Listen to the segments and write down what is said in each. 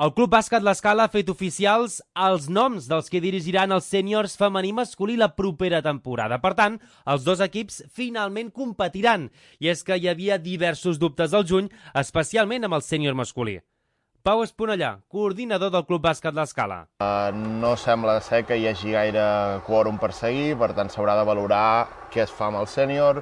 El Club Bàsquet L'Escala ha fet oficials els noms dels que dirigiran els sèniors femení i masculí la propera temporada. Per tant, els dos equips finalment competiran. I és que hi havia diversos dubtes al juny, especialment amb el sènior masculí. Pau Esponellà, coordinador del Club Bàsquet L'Escala. No sembla ser que hi hagi gaire quòrum per seguir, per tant s'haurà de valorar què es fa amb el sènior.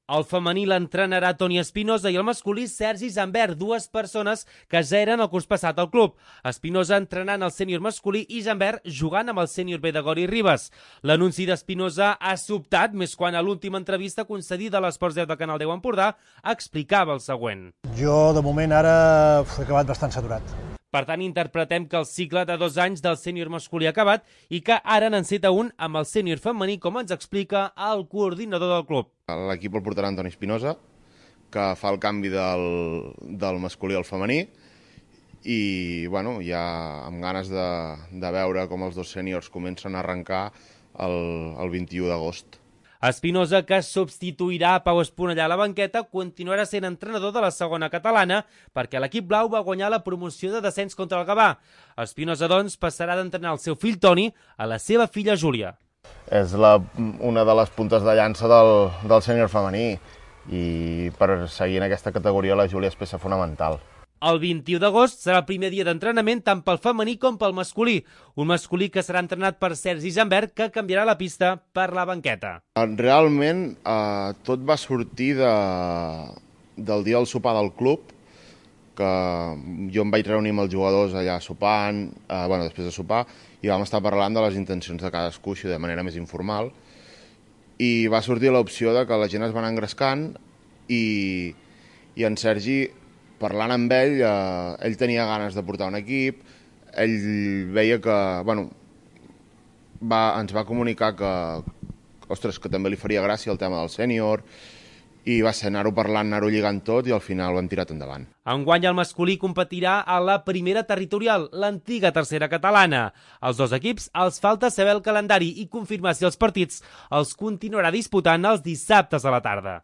El femení l'entrenarà Toni Espinosa i el masculí Sergi Zambert, dues persones que ja eren el curs passat al club. Espinosa entrenant el sènior masculí i Zambert jugant amb el sènior B de Gori Ribes. L'anunci d'Espinosa ha sobtat més quan a l'última entrevista concedida a l'Esports 10 de Canal 10 Empordà explicava el següent. Jo, de moment, ara he acabat bastant saturat. Per tant, interpretem que el cicle de 2 anys del sènior masculí ha acabat i que ara n'enceta un amb el sènior femení, com ens explica el coordinador del club. L'equip el portarà Toni Espinosa, que fa el canvi del masculí al femení, i bueno, ja amb ganes de veure com els dos sèniors comencen a arrencar el 21 d'agost. Espinosa, que substituirà Pau Esponellà a la banqueta, continuarà sent entrenador de la segona catalana perquè l'equip blau va guanyar la promoció de descens contra el Gavà. Espinosa, doncs, passarà d'entrenar el seu fill Toni a la seva filla Júlia. És una de les puntes de llança del sènior femení i per seguir en aquesta categoria la Júlia és peça fonamental. El 21 d'agost serà el primer dia d'entrenament tant pel femení com pel masculí. Un masculí que serà entrenat per Sergi Zambert, que canviarà la pista per la banqueta. Realment tot va sortir del dia del sopar del club, que jo em vaig reunir amb els jugadors allà sopant, després de sopar, i vam estar parlant de les intencions de cadascú de manera més informal, i va sortir l'opció de que la gent es va anar engrescant i en Sergi, parlant amb ell, ell tenia ganes de portar un equip, ell veia que, ens va comunicar que també li faria gràcia el tema del sènior, i va ser anar-ho parlant, anar-ho lligant tot, i al final ho hem tirat endavant. Enguany el masculí competirà a la primera territorial, l'antiga tercera catalana. Als dos equips els falta saber el calendari i confirmar si els partits els continuarà disputant els dissabtes a la tarda.